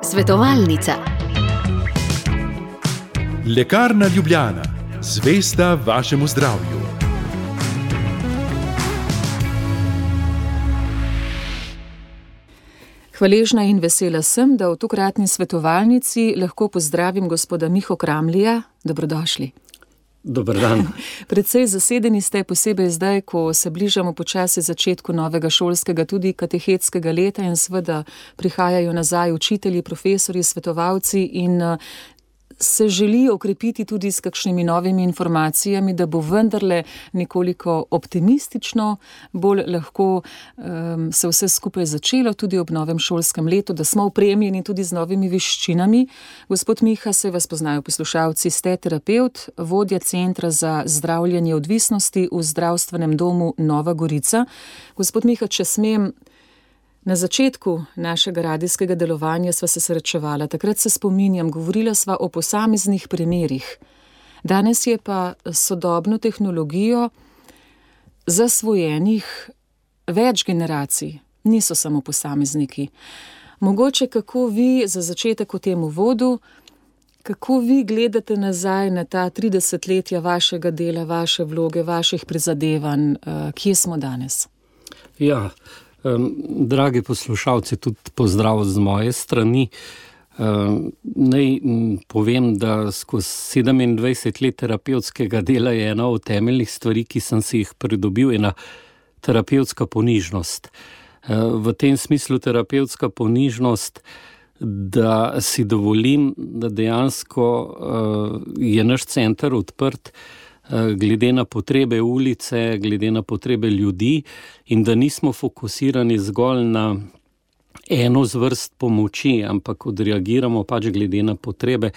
Svetovalnica. Lekarna Ljubljana, zvesta vašemu zdravju. Hvaležna in vesela sem, da v tokratni svetovalnici lahko pozdravim gospoda Miho Kramlija. Dobrodošli. Dober dan. Precej zasedeni ste, posebej zdaj, ko se bližamo počasi začetku novega šolskega, tudi katehetskega leta in seveda prihajajo nazaj učitelji, profesorji, svetovalci in se želi okrepiti tudi s kakšnimi novimi informacijami, da bo vendarle nekoliko optimistično, bolj lahko se vse skupaj začelo tudi ob novem šolskem letu, da smo opremljeni tudi z novimi veščinami. Gospod Miha, se vas poznajo poslušalci, ste terapevt, vodja Centra za zdravljenje odvisnosti v zdravstvenem domu Nova Gorica. Gospod Miha, če smem, na začetku našega radijskega delovanja sva se srečevala, takrat se spominjam, govorila sva o posameznih primerih. Danes je pa sodobno tehnologijo zasvojenih več generacij, niso samo posamezniki. Mogoče kako vi, za začetek v tem uvodu, kako vi gledate nazaj na ta 30-letja vašega dela, vaše vloge, vaših prizadevanj, kje smo danes? Ja, dragi poslušalci, tudi pozdrav z moje strani. Naj povem, da skozi 27 let terapevtskega dela je ena od temeljnih stvari, ki sem si jih pridobil, ena terapevtska ponižnost. V tem smislu terapevtska ponižnost, da si dovolim, da dejansko je naš center odprt glede na potrebe ulice, glede na potrebe ljudi in da nismo fokusirani zgolj na eno zvrst pomoči, ampak odreagiramo pač glede na potrebe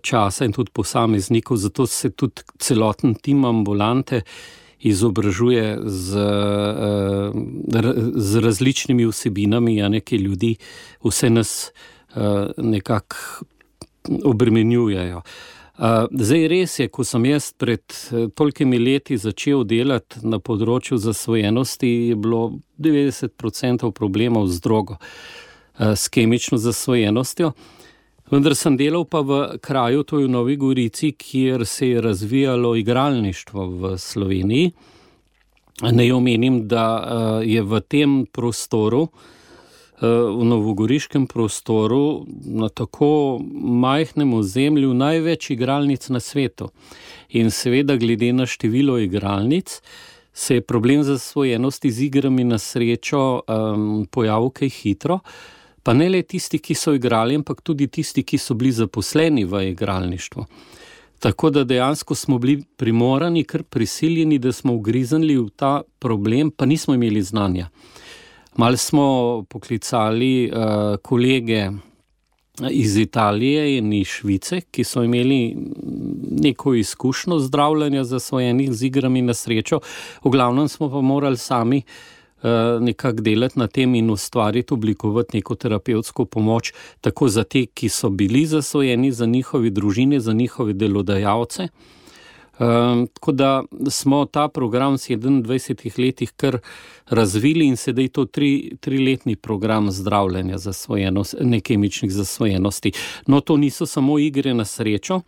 časa in tudi posameznikov. Zato se tudi celoten tim ambulante izobražuje z različnimi vsebinami, ki ljudi vse nas nekako obremenjujejo. Zdaj res je, ko sem jaz pred tolikimi leti začel delati na področju zasvojenosti, je bilo 90% problemov z drogo, s kemično zasvojenostjo. Vendar sem delal pa v kraju, to je v Novi Gorici, kjer se je razvijalo igralništvo v Sloveniji. Naj omenim, da je v tem prostoru, v novogoriškem prostoru, na tako majhnem ozemlju največ igralnic na svetu. In seveda glede na število igralnic se je problem zasvojenosti z igrami na srečo pojavil kaj hitro, pa ne le tisti, ki so igrali, ampak tudi tisti, ki so bili zaposleni v igralništvu. Tako da dejansko smo bili primorani, kar prisiljeni, da smo ugriznili v ta problem, pa nismo imeli znanja. Malo smo poklicali kolege iz Italije in iz Švice, ki so imeli neko izkušnjo zdravljenja zasvojenih z igrami na srečo. V glavnem smo pa morali sami nekako delati na tem in ustvariti, oblikovati neko terapevtsko pomoč, tako za te, ki so bili zasvojeni, za njihove družine, za njihove delodajalce. Tako da smo ta program v 27 letih kar razvili in sedaj je to triletni program zdravljenja nekemičnih zasvojenosti. No, to niso samo igre na srečo.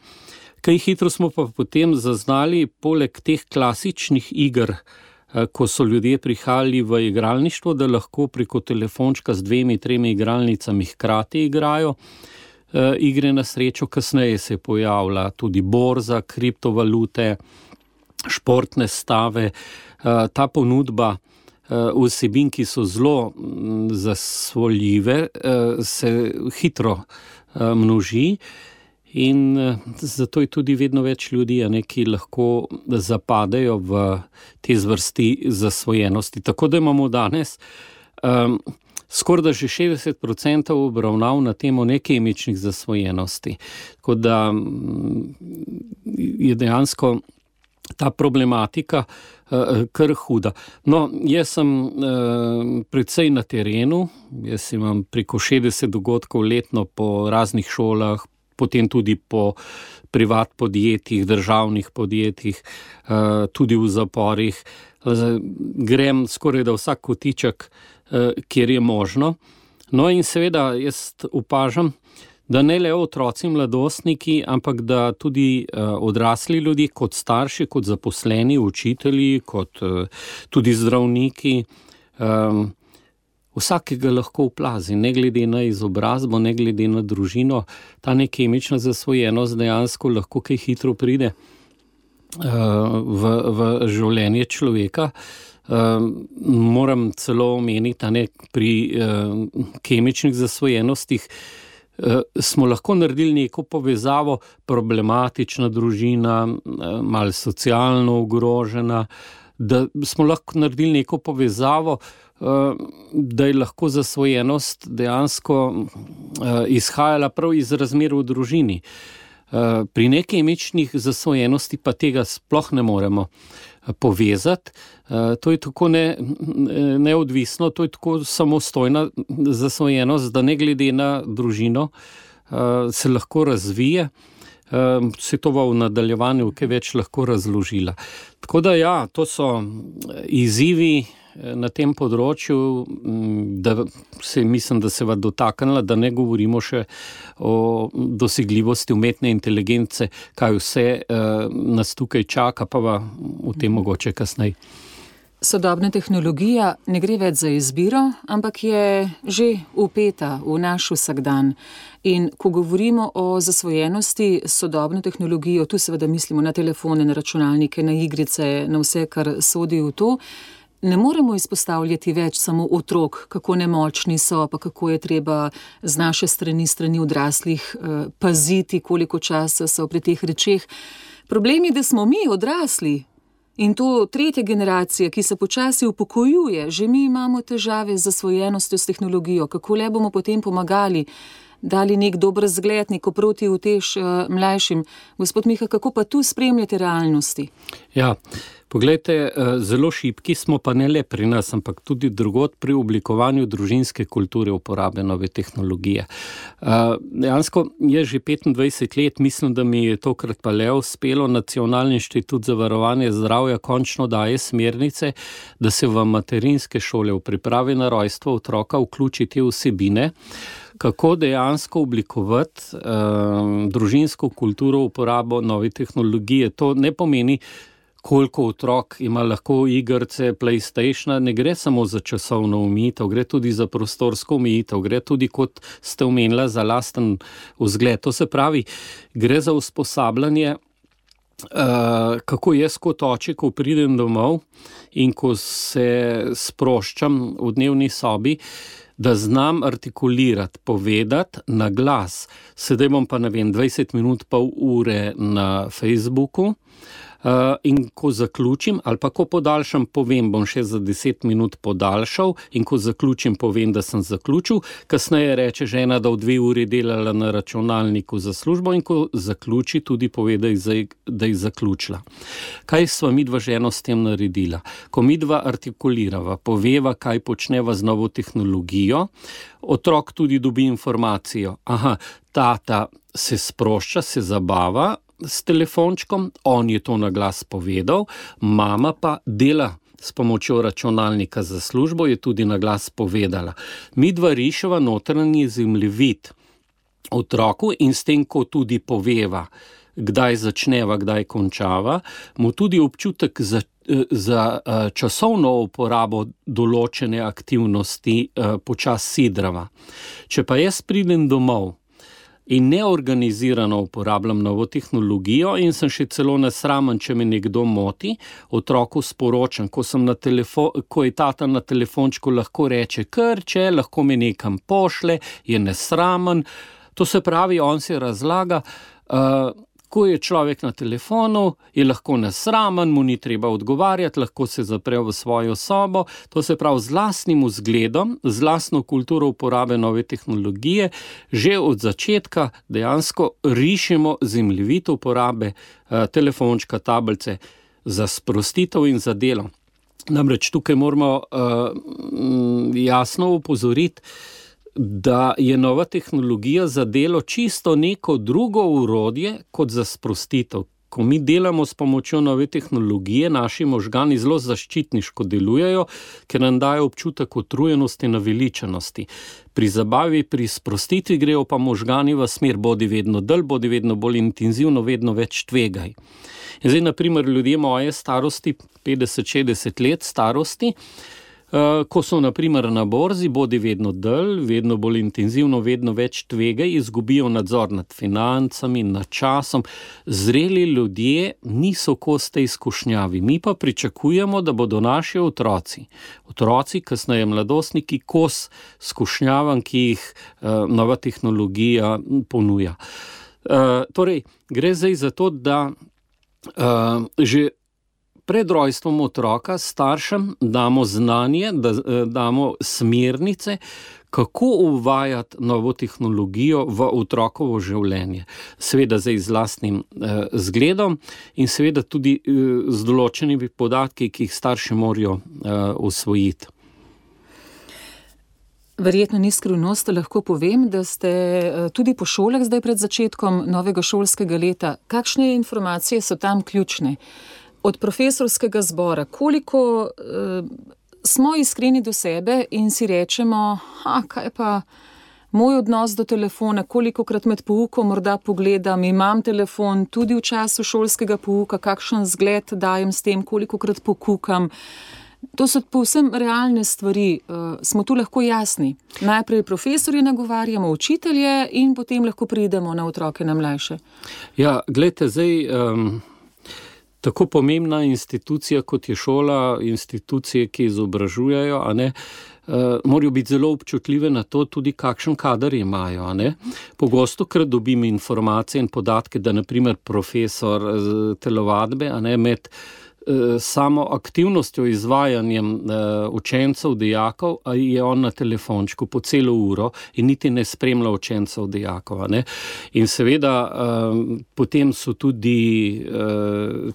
Kaj hitro smo pa potem zaznali, poleg teh klasičnih iger, ko so ljudje prihajali v igralništvo, da lahko preko telefončka z 2-3 igralnicami hkrati igrajo igre na srečo. Kasneje se je pojavila tudi borza, kriptovalute, športne stave. Ta ponudba vsebin, ki so zelo zasvoljive, se hitro množi in zato je tudi vedno več ljudi, ki lahko zapadejo v te zvrsti zasvojenosti. Tako da imamo danes skoraj da že 60% obravnav na temo nekemičnih zasvojenosti. Tako da je dejansko ta problematika kar huda. No, jaz sem precej na terenu, jaz imam preko 60 dogodkov letno po raznih šolah, potem tudi po privat podjetjih, državnih podjetjih, tudi v zaporih. Grem skoraj da vsak kotiček kjer je možno. No in seveda jaz opažam, da ne le otroci, mladostniki, ampak da tudi odrasli ljudje, kot starši, kot zaposleni, učitelji, kot tudi zdravniki, vsakega lahko oplazi, ne glede na izobrazbo, ne glede na družino. Ta nekemična zasvojenost dejansko lahko kaj hitro pride v življenje človeka. Moram celo omeniti, pri kemičnih zasvojenostih smo lahko naredili neko povezavo, problematična družina, malo socialno ogrožena, da smo lahko naredili neko povezavo, da je lahko zasvojenost dejansko izhajala prav iz razmer v družini. Pri nekemičnih zasvojenosti pa tega sploh ne moremo povezati. To je tako neodvisno, to je tako samostojna zasvojenost, da ne glede na družino se lahko razvije. Se to v nadaljevanju kaj več lahko razložila. Tako da ja, to so izzivi na tem področju, da mislim, da se va dotaknila, da ne govorimo še o dosegljivosti umetne inteligence, kaj vse nas tukaj čaka, pa va o tem mogoče kasneje. Sodobna tehnologija ne gre več za izbiro, ampak je že vpeta v naš vsakdan. In ko govorimo o zasvojenosti s sodobno tehnologijo, tu seveda mislimo na telefone, na računalnike, na igrice, na vse, kar sodi v to, ne moremo izpostavljati več samo otrok, kako nemočni so, pa kako je treba z naše strani odraslih paziti, koliko časa so pri teh rečeh. Problem je, da smo mi odrasli, in to tretja generacija, ki se počasi upokojuje, že mi imamo težave z zasvojenostjo s tehnologijo. Kako le bomo potem pomagali, dali nek dober zgled, neko protiutež mlajšim. Gospod Miha, kako pa tu spremljate realnosti? Ja, poglejte, zelo šibki smo, pa ne le pri nas, ampak tudi drugod pri oblikovanju družinske kulture uporabe nove tehnologije. Dejansko je že 25 let, mislim, da mi je tokrat pa le uspelo, Nacionalni inštitut za varovanje zdravja končno daje smernice, da se v materinske šole v pripravi na rojstvo otroka vključi te vsebine, kako dejansko oblikovati družinsko kulturo uporabo nove tehnologije. To ne pomeni, koliko otrok ima lahko igrice, PlayStationa, ne gre samo za časovno omejitev, gre tudi za prostorsko omejitev, gre tudi, kot ste omenila, za lasten vzgled. To se pravi, gre za usposabljanje, kako jaz kot oče, ko pridem domov in ko se sproščam v dnevni sobi, da znam artikulirati, povedati na glas. Sedaj bom pa, 20 minut, pol ure na Facebooku, in ko zaključim, ali pa ko podaljšam, povem, bom še za 10 minut podaljšal, in ko zaključim, povem, da sem zaključil. Kasneje reče žena, da v 2 uri delala na računalniku za službo, in ko zaključi, tudi pove, da je zaključila. Kaj sva midva ženo s tem naredila? Ko midva artikulirava, poveva, kaj počneva z novo tehnologijo, otrok tudi dobi informacijo. Aha, tata se sprošča, se zabava s telefončkom, on je to na glas povedal, mama pa dela s pomočjo računalnika za službo, je tudi na glas povedala. Midva riševa notranji zemljevid otroku in s tem, ko tudi poveva, kdaj začneva, kdaj končava, mu tudi občutek za časovno uporabo določene aktivnosti počas sidrava. Če pa jaz pridem domov in neorganizirano uporabljam novo tehnologijo in sem še celo nesramen, če me nekdo moti, otroku sporočam, ko je tata na telefončku, lahko reče krče, lahko me nekam pošle, je nesramen. To se pravi, on se razlaga, ko je človek na telefonu, je lahko nesramen, mu ni treba odgovarjati, lahko se zapre v svojo sobo. To se pravi, z lastnim vzgledom, z lastno kulturo uporabe nove tehnologije, že od začetka dejansko rišemo zemljevid uporabe telefončka, tablice za sprostitev in za delo. Namreč tukaj moramo jasno opozoriti, da je nova tehnologija za delo čisto neko drugo orodje kot za sprostitev. ko mi delamo s pomočjo nove tehnologije, naši možgani zelo zaščitniško delujejo, ker nam dajo občutek utrujenosti, naveličenosti. Pri zabavi, pri sprostitvi grejo pa možgani v smer bodi vedno dlj, bodi vedno bolj intenzivno, vedno več tvegaj. In zdaj, na primer, ljudje moje starosti, 50-60 let starosti, ko so na primer na borzi, bodi vedno dlj, vedno bolj intenzivno, vedno več tvegaj, izgubijo nadzor nad financami, nad časom. Zreli ljudje niso kos tej izkušnjavi. Mi pa pričakujemo, da bodo naši otroci, kasneje mladostniki, kos izkušnjavam, ki jih nova tehnologija ponuja. Torej, gre zdaj za to, da že pred rojstvom otroka staršem damo znanje, da damo smernice, kako uvajati novo tehnologijo v otrokovo življenje. Seveda zdaj z lastnim zgledom in seveda tudi z določenimi podatki, ki jih starši morajo usvojiti. Verjetno ni skrivnost, lahko povem, da ste tudi po šolah zdaj pred začetkom novega šolskega leta. Kakšne informacije so tam ključne? Od profesorskega zbora, koliko smo iskreni do sebe in si rečemo, kaj pa moj odnos do telefona, kolikokrat med poukom morda pogledam, imam telefon tudi v času šolskega pouka, kakšen zgled dajem s tem, kolikokrat pokukam. To so povsem realne stvari, smo tu lahko jasni. Najprej profesorje nagovarjamo, učitelje in potem lahko pridemo na otroke, na mlajše. Ja, glejte, zdaj tako pomembna institucija, kot je šola, institucije, ki izobražujejo, morajo biti zelo občutljive na to, tudi kakšen kader imajo. Pogosto krat dobim informacije in podatke, da na primer profesor telovadbe med samo aktivnostjo, izvajanjem učencev, dijakov, je on na telefončku po celo uro in niti ne spremlja učencev, dijakov. In seveda potem so tudi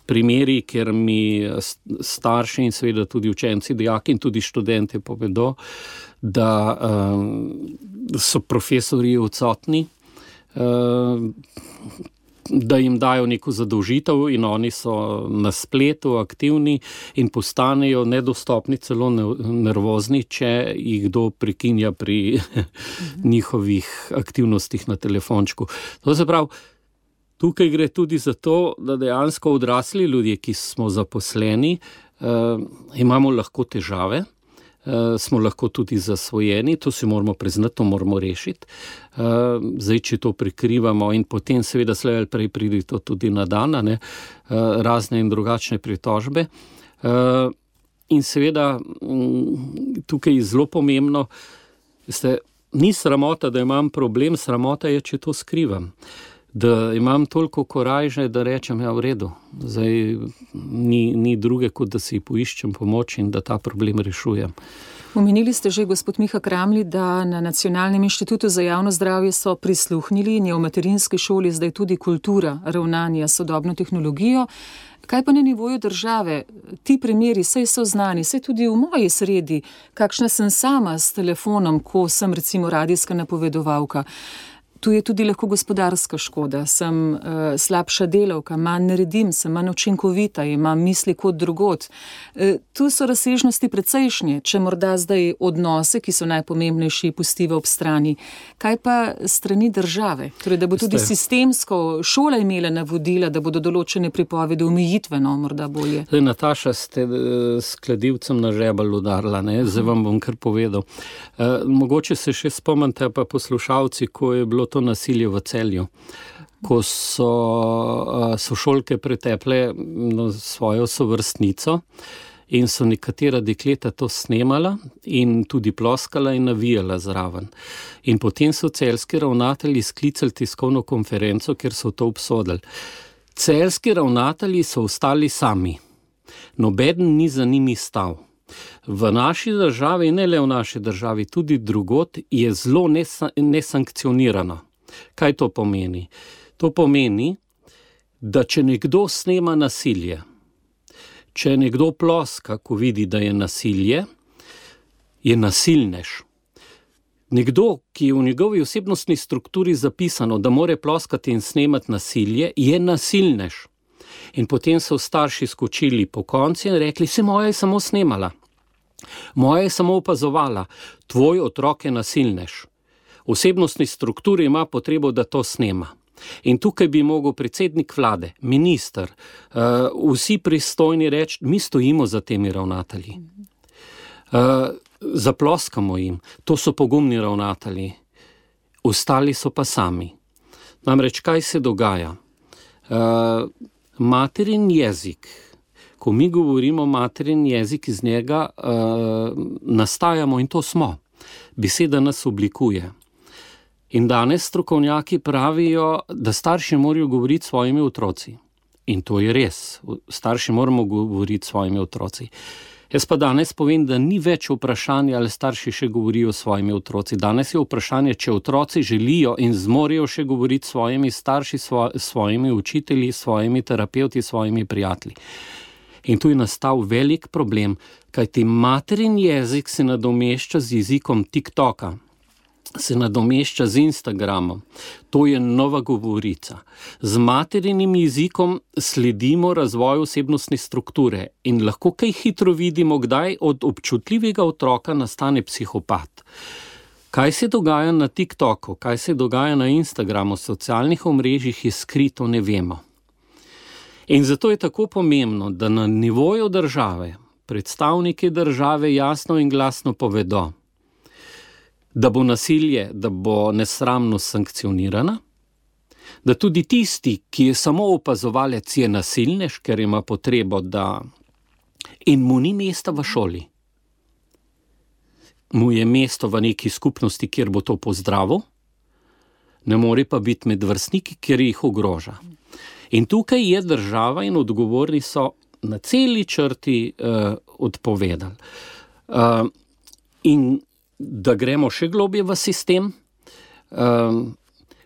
primeri, kjer mi starši in seveda tudi učenci, dijaki in tudi študenti povedo, da so profesorji odsotni, da jim dajo neko zadolžitev in oni so na spletu aktivni in postanejo nedostopni, celo nervozni, če jih kdo prekinja pri njihovih aktivnostih na telefončku. To se pravi, tukaj gre tudi za to, da dejansko odrasli ljudje, ki smo zaposleni, imamo lahko težave, smo lahko tudi zasvojeni, to si moramo priznati, to moramo rešiti. Zdaj, če to prikrivamo in potem seveda slej ali prej pride to tudi na dan, razne in drugačne pritožbe. In seveda tukaj je zelo pomembno, ni sramota, da imam problem, sramota je, če to skrivam. Da imam toliko korajže, da rečem, v redu, zdaj ni druge, kot da si poiščem pomoč in da ta problem rešujem. Omenili ste že, gospod Miha Kramli, da na Nacionalnem inštitutu za javno zdravje so prisluhnili in je v materinski šoli zdaj tudi kultura ravnanja s sodobno tehnologijo. Kaj pa na nivoju države? Ti primeri, saj so znani, saj tudi v moji sredi, kakšna sem sama s telefonom, ko sem recimo radijska napovedovalka. Tu je tudi lahko gospodarska škoda, sem slabša delavka, manj naredim, sem manj učinkovita, imam misli kot drugod. Tu so razsežnosti precejšnje, če morda zdaj odnose, ki so najpomembnejši, pustiva ob strani. Kaj pa strani države? Torej, da bo tudi sistemsko šola imela navodila, da bodo določene pripovedi omejitveno, morda bolje. Zdaj, Nataša, ste s kladivcem na žebelj udarila, zdaj vam bom kar povedal. Mogoče se še spomnite pa poslušalci, ko je bilo to nasilje v Celju, ko so sošolke preteple svojo sovrstnico in so nekatera dekleta to snemala in tudi ploskala in navijala zraven. In potem so celjski ravnatelji sklicali tiskovno konferenco, ker so to obsodili. Celjski ravnatelji so ostali sami. Nobeden ni za njimi stal. V naši državi, ne le v naši državi, tudi drugod je zelo nesankcionirano. Kaj to pomeni? To pomeni, da če nekdo snema nasilje, če nekdo ploska, ko vidi, da je nasilje, je nasilnež. Nekdo, ki je v njegovi osebnostni strukturi zapisano, da more ploskati in snemati nasilje, je nasilnež. In potem so starši skočili po konci in rekli, se moja je samo snemala, moja je samo opazovala, tvoj otrok je nasilnež. V osebnostni strukturi ima potrebo, da to snema. In tukaj bi mogel predsednik vlade, minister, vsi pristojni reči, mi stojimo za temi ravnatelji. Zaploskamo jim, to so pogumni ravnatelji, ostali so pa sami. Namreč, kaj se dogaja? Materin jezik, ko mi govorimo materin jezik, iz njega nastajamo in to smo. Beseda nas oblikuje. In danes strokovnjaki pravijo, da starši morajo govoriti s svojimi otroci. In to je res. Starši moramo govoriti s svojimi otroci. Jaz pa danes povem, da ni več vprašanje, ali starši še govorijo s svojimi otroci. Danes je vprašanje, če otroci želijo in zmorejo še govoriti s svojimi starši, svojimi učitelji, svojimi terapevti, svojimi prijatelji. In tu je nastal velik problem, kajti materin jezik se nadomešča z jezikom TikToka, se nadomešča z Instagramom. To je nova govorica. Z materinim jezikom sledimo razvoju osebnostne strukture in lahko kaj hitro vidimo, kdaj od občutljivega otroka nastane psihopat. Kaj se dogaja na TikToku, kaj se dogaja na Instagramu, socialnih omrežjih je skrito, ne vemo. In zato je tako pomembno, da na nivoju države predstavniki države jasno in glasno povedo, da bo nasilje, da bo nesramnost sankcionirana, da tudi tisti, ki je samo opazovalec, je nasilnež, ker ima potrebo, da in mu ni mesta v šoli. Mu je mesto v neki skupnosti, kjer bo to pozdravil, ne more pa biti med vrstniki, kjer jih ogroža. In tukaj je država in odgovorni so na celi črti odpovedali. In da gremo še globje v sistem.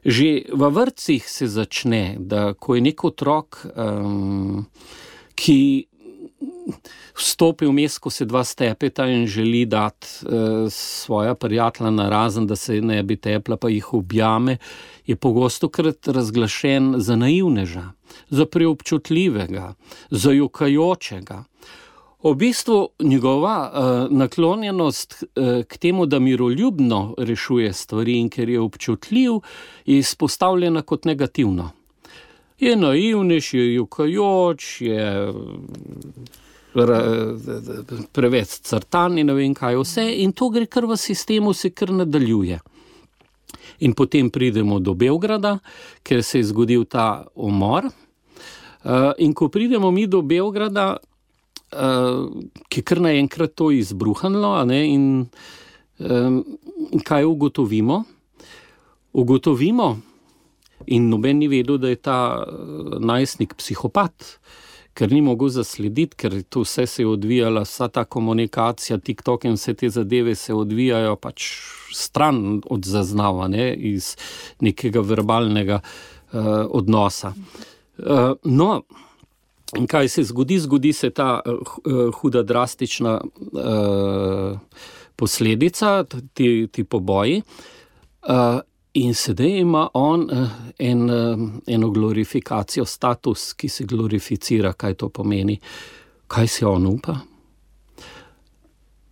Že v vrtcih se začne, da ko je nek otrok, ki vstopi vmes, ko se dva stepeta in želi dati svoja prijatelja narazen, da se ne bi tepla, pa jih objame, je pogostokrat razglašen za naivneža, za preobčutljivega, za jokajočega. V bistvu njegova naklonjenost k temu, da miroljubno rešuje stvari in ker je občutljiv, je izpostavljena kot negativno. Je naivnež, je jokajoč, je preveč crtan in ne vem kaj vse in to gre kar v sistemu, se kar nadaljuje. In potem pridemo do Beograda, ker se je zgodil ta umor. In ko pridemo mi do Beograda, ki kar naenkrat to izbruhanilo, in kaj ugotovimo? Ugotovimo, in noben ni vedel, da je ta najstnik psihopat, ker ni mogel zaslediti, ker to vse se je odvijala, vsa ta komunikacija, TikTok in vse te zadeve se odvijajo pač stran od zaznava, iz nekega verbalnega odnosa. No, in kaj se zgodi? Zgodi se ta huda drastična posledica, ti poboji, in sedaj ima on eno glorifikacijo, status, ki se glorificira, kaj to pomeni. Kaj se on upa?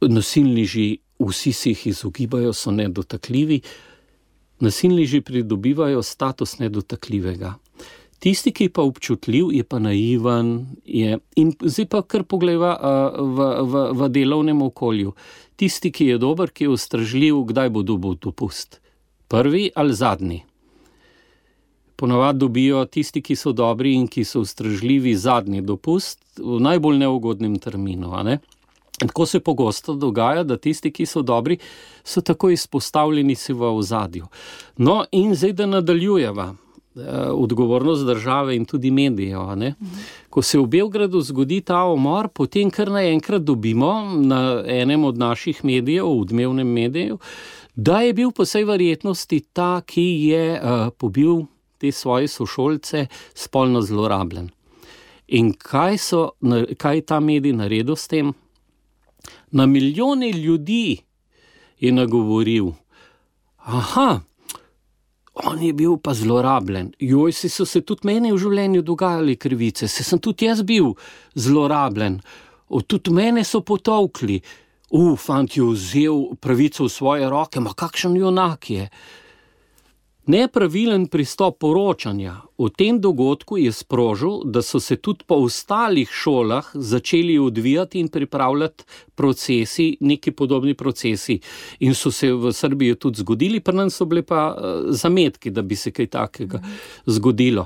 Nasilneži, vsi se jih izogibajo, so nedotakljivi. Nasilneži pridobivajo status nedotakljivega. Tisti, ki je pa občutljiv, je pa naivan, in zdaj pa kar poglejva v delovnem okolju. Tisti, ki je dober, ki je ustržljiv, kdaj bo dobil dopust? Prvi ali zadnji? Ponavadi dobijo tisti, ki so dobri in ki so ustržljivi, zadnji dopust v najbolj neugodnem terminu. Tako se pogosto dogaja, da tisti, ki so dobri, so tako izpostavljeni si v ozadju. No, in zdaj da nadaljujeva. Odgovornost države in tudi medijev. Ko se v Beogradu zgodi ta umor, potem kar naenkrat dobimo na enem od naših medijev, v Dnevnem mediju, da je bil po vsej verjetnosti ta, ki je pobil te svoje sošolce, spolno zlorabljen. In kaj je ta medij naredil s tem? Na milijone ljudi je nagovoril, on je bil pa zlorabljen. Joj, so se tudi meni v življenju dogajali krivice, se sem tudi jaz bil zlorabljen. Tudi mene so potolkli. Fant je vzel pravico v svoje roke, ma kakšen junak je. Nepravilen pristop poročanja o tem dogodku je sprožil, da so se tudi po ostalih šolah začeli odvijati in pripravljati procesi, neki podobni procesi. In so se v Srbiji tudi zgodili, pri nas so bile pa zametki, da bi se kaj takega zgodilo.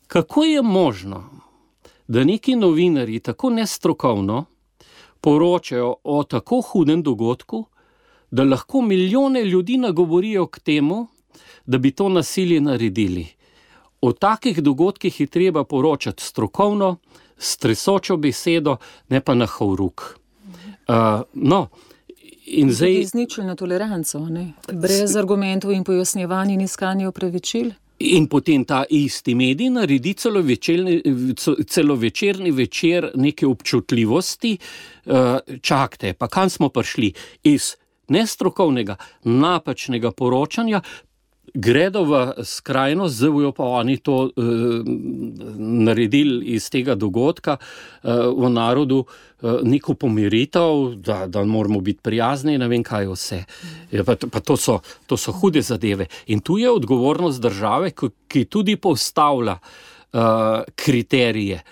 Kako je možno, da neki novinarji tako nestrokovno poročajo o tako hudem dogodku, da lahko milijone ljudi nagovorijo k temu, da bi to nasilje naredili. O takih dogodkih je treba poročati strokovno, s tresočo besedo, ne pa na horuk. In zdaj izničilno toleranco, ne? Brez argumentov in pojasnjevanj in iskanja opravičil. In potem ta isti medij naredi celovečerni večer neke občutljivosti. Čakajte, pa kam smo prišli? Iz nestrokovnega, napačnega poročanja gredo v skrajnost, zdaj bojo pa oni to naredili iz tega dogodka v narodu neko pomiritev, da moramo biti prijazni, ne vem kaj vse. Pa to so hude zadeve. In tu je odgovornost države, ki tudi postavlja kriterije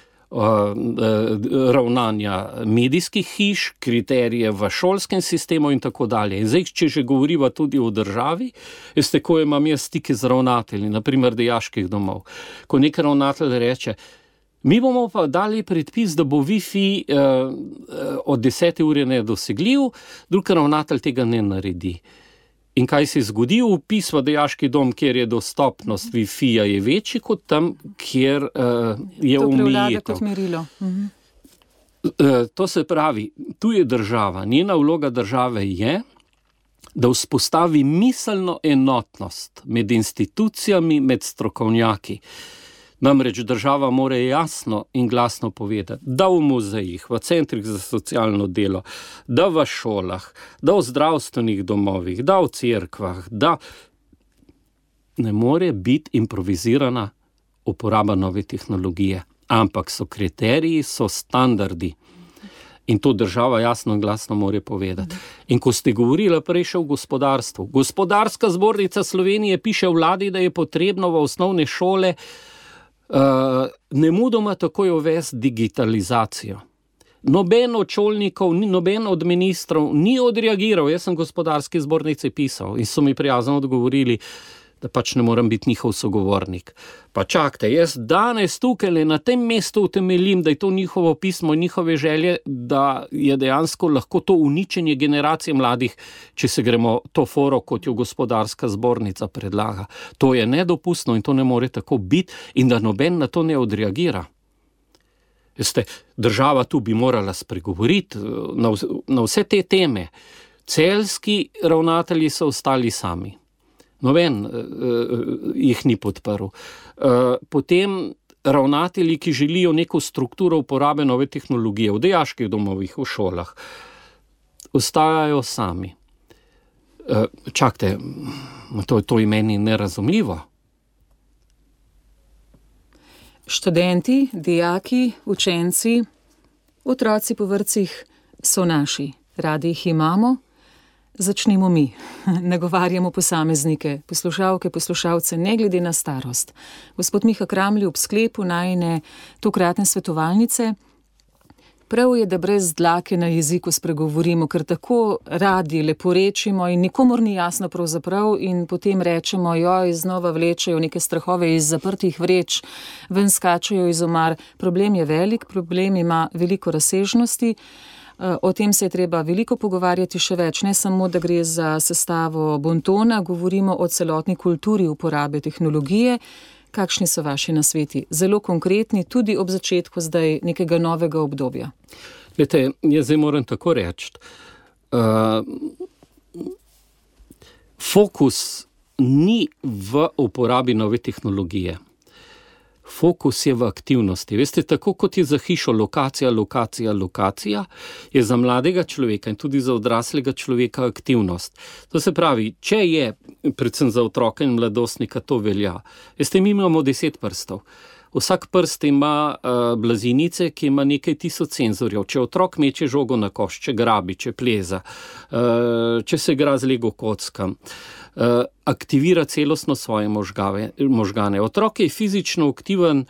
ravnanja medijskih hiš, kriterije v šolskem sistemu in tako dalje. In zdaj, če že govoriva tudi o državi, veste, ko imam jaz stike z ravnatelji, naprimer dijaških domov, ko nek ravnatelj reče, mi bomo pa dali predpis, da bo Wi-Fi od 10. ure nedosegljiv, drug ravnatelj tega ne naredi. In kaj se zgodi? Vpis v dijaški dom, kjer je dostopnost Wi-Fi-ja je večji kot tam, kjer je omejitev. To prevlada kot merilo. To se pravi, tu je država. Njena vloga države je, da vzpostavi miselno enotnost med institucijami, med strokovnjaki. Namreč država mora jasno in glasno povedati, da v muzejih, v centrih za socialno delo, da v šolah, da v zdravstvenih domovih, da v cerkvah, da ne more biti improvizirana uporaba nove tehnologije, ampak so kriteriji, so standardi. In to država jasno in glasno more povedati. In ko ste govorili prej še o gospodarstvu, Gospodarska zbornica Slovenije piše vladi, da je potrebno v osnovne šole nemudoma takoj uvesti digitalizacijo. Noben od šolnikov, noben od ministrov ni odreagiral. Jaz sem Gospodarski zbornici pisal in so mi prijazno odgovorili, da pač ne moram biti njihov sogovornik. Pa čakajte, jaz danes tukaj na tem mestu utemeljim, da je to njihovo pismo, njihove želje, da je dejansko lahko to uničenje generacije mladih, če se gremo to foro, kot jo Gospodarska zbornica predlaga. To je nedopustno in to ne more tako biti in da noben na to ne odreagira. Veste, država tu bi morala spregovoriti na vse te teme. Celjski ravnatelji so ostali sami. Noben jih ni podprl. Potem ravnatelji, ki želijo neko strukturo uporabe nove tehnologije v dijaških domovih, v šolah, ostajajo sami. Čakajte, to je meni nerazumljivo. Študenti, dijaki, učenci, otroci po vrtcih so naši. Radi jih imamo. Začnimo mi. Nagovarjamo posameznike, poslušalke, poslušalce, ne glede na starost. Gospod Miha Kramlj, ob sklepu najine tokratne svetovalnice, prav je, da brez dlake na jeziku spregovorimo, ker tako radi leporečimo in nikomur ni jasno pravzaprav in potem rečemo, joj, znova vlečejo neke strahove iz zaprtih vreč, ven skačejo iz omar. Problem je velik, problem ima veliko razsežnosti. O tem se je treba veliko pogovarjati še več, ne samo, da gre za sestavo bontona, govorimo o celotni kulturi uporabe tehnologije. Kakšni so vaši nasveti? Zelo konkretni, tudi ob začetku zdaj nekega novega obdobja. Glejte, jaz zdaj moram tako reči. Fokus ni v uporabi nove tehnologije. fokus je v aktivnosti. Veste, tako kot je za hišo lokacija, je za mladega človeka in tudi za odraslega človeka aktivnost. To se pravi, če je, predvsem za otroka in mladostnika, to velja. Veste, mi imamo 10 prstov. Vsak prst ima blazinice, ki ima nekaj tisoč senzorjev. Če otrok meče žogo na koš, če grabi, če pleza, če se igra z Lego kockam, aktivira celostno svoje možgane. Otrok je fizično aktiven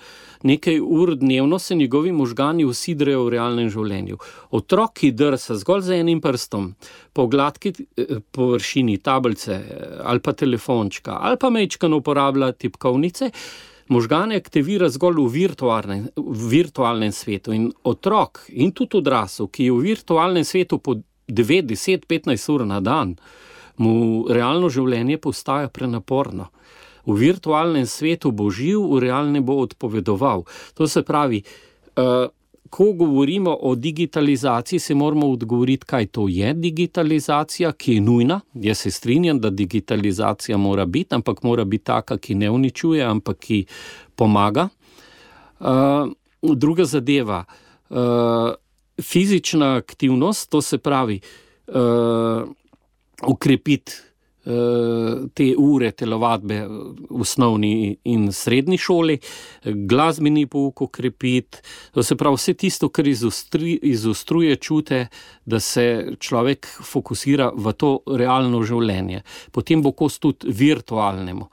nekaj ur dnevno, se njegovi možgani usidrejo v realnem življenju. Otrok, ki drsa zgolj z enim prstom po gladki površini tablice ali pa telefončka ali pa mečkano uporablja tipkovnice, možgane aktivira zgolj v virtualnem svetu. In otrok in tudi odrasel, ki je v virtualnem svetu po 9, 10, 15 ur na dan, mu realno življenje postaja prenaporno. V virtualnem svetu bo živ, v realnem bo odpovedoval. To se pravi, ko govorimo o digitalizaciji, se moramo odgovoriti, kaj to je digitalizacija, ki je nujna. Jaz se strinjam, da digitalizacija mora biti, ampak mora biti taka, ki ne uničuje, ampak ki pomaga. Druga zadeva, fizična aktivnost, to se pravi, ukrepiti te ure telovadbe v osnovni in srednji šoli, glasbeni pouk ukrepiti, to se pravi vse tisto, kar izostruje čute, da se človek fokusira v to realno življenje. Potem bo kos tudi virtualnemu.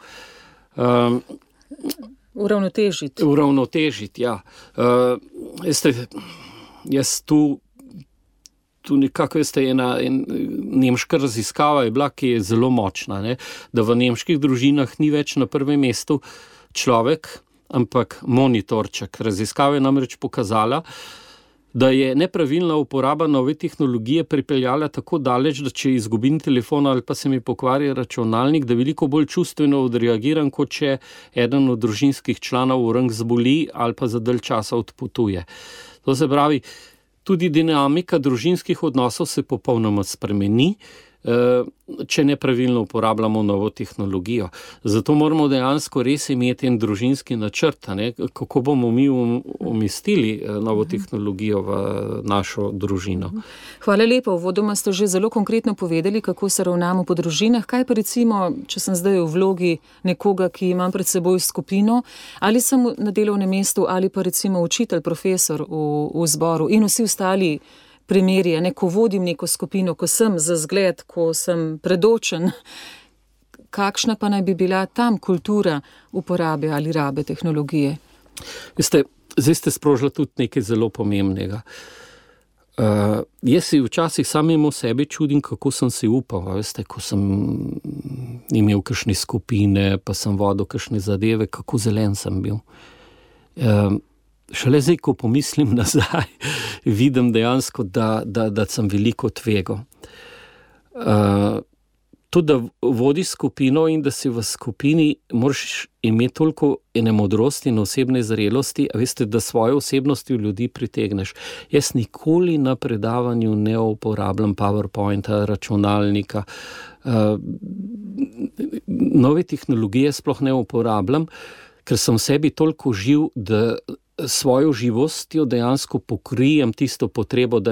Uravnotežiti, ja. Jaz tu nekako, veste, ena nemška raziskava je bila, ki je zelo močna, ne? Da v nemških družinah ni več na prvem mestu človek, ampak monitorček. Raziskava je namreč pokazala, da je nepravilna uporaba nove tehnologije pripeljala tako daleč, da če izgubim telefon ali pa se mi pokvari računalnik, da veliko bolj čustveno odreagiram, kot če eden od družinskih članov rang zboli ali pa za dalj časa odpotuje. To se pravi, tudi dinamika družinskih odnosov se popolnoma spremeni, če nepravilno uporabljamo novo tehnologijo. Zato moramo dejansko res imeti en družinski načrt, ne? Kako bomo mi umestili novo tehnologijo v našo družino. Hvala lepa, uvodoma ste že zelo konkretno povedali, kako se ravnamo po družinah. Kaj pa recimo, če sem zdaj v vlogi nekoga, ki imam pred seboj skupino, ali sem na delovnem mestu, ali pa recimo učitelj, profesor v zboru in vsi ostali primeri, ko vodim neko skupino, ko sem za zgled, ko sem predočen, kakšna pa naj bi bila tam kultura uporabe ali rabe tehnologije? Veste, zdaj ste sprožili tudi nekaj zelo pomembnega. Jaz si včasih samemu sebi čudim, kako sem si upal, veste, ko sem imel kakšne skupine, pa sem vodil kakšne zadeve, kako zelen sem bil. Šele zdaj, ko pomislim nazaj, vidim dejansko, da sem veliko tvegal. To, da vodiš skupino in da si v skupini, moraš imeti toliko ene modrosti in osebne zrelosti, a veste, da svojo osebnosti v ljudi pritegneš. Jaz nikoli na predavanju ne uporabljam PowerPointa, računalnika, nove tehnologije sploh ne uporabljam, ker sem v sebi toliko živ, da svojo živostjo dejansko pokrijem tisto potrebo, da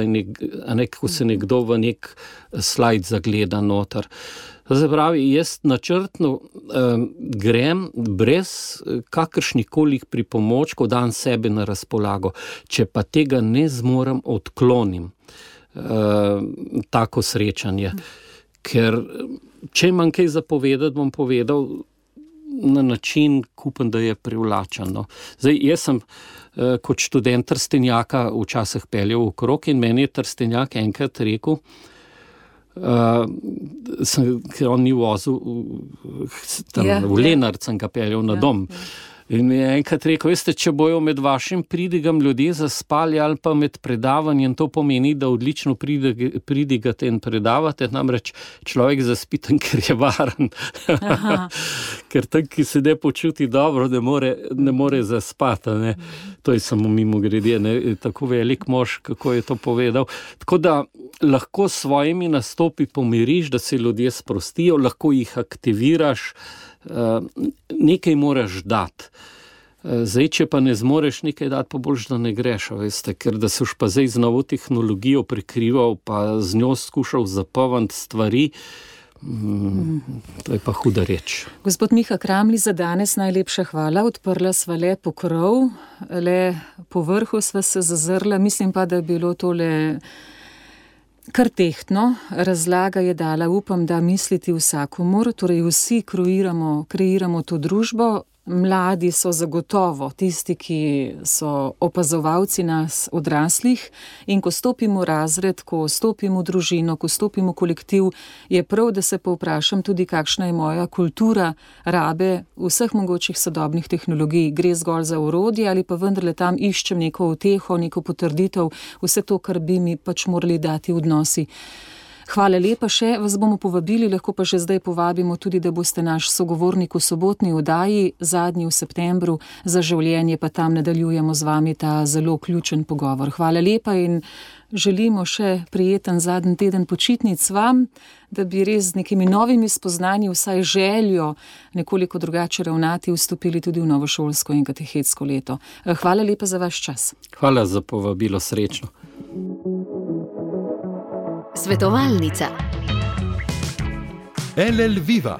ko se nekdo v nek slajd zagleda noter. To pravi, jaz načrtno grem brez kakršnikoli pripomočkov, dam sebe na razpolago. Če pa tega ne zmorem, odklonim tako srečanje. Ker če imam kaj zapovedati, bom povedal na način, upam, da je privlačeno. Zdaj, jaz sem kot študent Trstenjaka včasih peljal okrog in meni je Trstenjak enkrat rekel, ker on ni vozil, v Lenart sem ga peljal na dom. In mi je enkrat rekel, veste, če bojo med vašim pridigam ljudje zaspali ali pa med predavanjem, to pomeni, da odlično pridigate in predavate, namreč človek zaspi tam, ker je varen. Ker tam, ki se ne počuti dobro, ne more zaspati. Ne? To je samo mimogrede, tako velik mož, kako je to povedal. Tako da lahko s svojimi nastopi pomiriš, da se ljudje sprostijo, lahko jih aktiviraš, nekaj moraš dati. Zdaj, če pa ne zmoreš nekaj dati, pa boljš, da ne greš, veste, ker da soš pa zdaj z novo tehnologijo prekrival, pa z njo skušal zapavant stvari, to je pa huda reč. Gospod Miha Kramli, za danes najlepša hvala. Odprla sva le pokrov, le po vrhu sva se zazrla. Mislim pa, da je bilo tole kar tehtno. Razlaga je dala, upam, da misliti vsakomur, torej vsi kreiramo to družbo. Mladi so zagotovo tisti, ki so opazovalci nas odraslih, in ko stopimo v razred, ko stopimo v družino, ko stopimo v kolektiv, je prav, da se povprašam tudi, kakšna je moja kultura rabe vseh mogočih sodobnih tehnologij. Gre zgolj za orodje ali pa vendarle tam iščem neko uteho, neko potrditev, vse to, kar bi mi pač morali dati odnosi. Hvala lepa, še vas bomo povabili, lahko pa že zdaj povabimo tudi, da boste naš sogovornik v sobotni oddaji, zadnji v septembru, za življenje, pa tam nadaljujemo z vami ta zelo ključen pogovor. Hvala lepa in želimo še prijeten zadnji teden počitnic vam, da bi res z nekimi novimi spoznanji, vsaj željo nekoliko drugače ravnati, vstopili tudi v novo šolsko in katehetsko leto. Hvala lepa za vaš čas. Hvala za povabilo, srečno. Svetovalnica. LL Viva,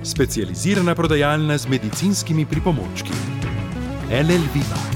specializirana prodajalna z medicinskimi pripomočki. LL Viva.